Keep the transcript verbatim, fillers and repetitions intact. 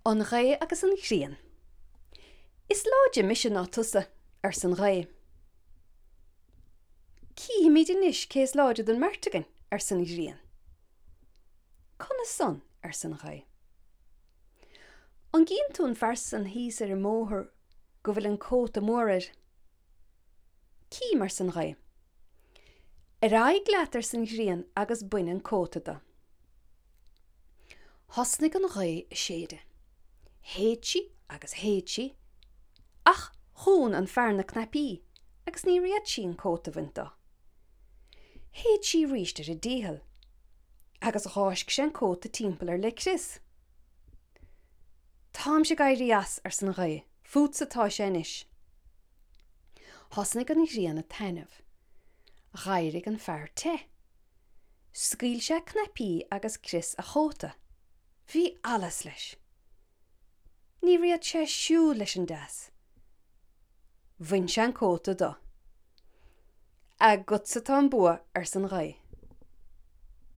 An Ghaoth agus an Ghrian. Is láidre mise ná tusa, arsa an ghaoth. Cífimid anois cé is láidre den mbeirt againn, arsa an ghrian. Conas san, arsa an ghaoth. An gcíonn tú an fear san thíos ar an mbóthar go bhfuil an cóta mór air? Cím, arsa an ghaoth. Ar aghaidh leat, arsa an ghrian, agus bain an cóta de. Thosnaigh an ghaoth ag séideadh. Shéid sí agus shéid sí, ach dhún an fear na cnaipí agus níor fhéad sí an cóta a bhaint de. Shéid sí arís ar a dícheall, agus dh'fháisc sé an cóta timpeall air le crios. Táimse ag éirí as, arsa an ghaoth, fútsa atá sé anois. Thosnaigh an ghrian ag taitneamh. Dh'éirigh an fear te. Scaoil sé cnaipí agus crios a chóta. Bhí allas leis. Níor fhéad sé siúl leis an dteas. Bhain sé an cóta de. Agatsa atá an bua, arsa an ghaoth.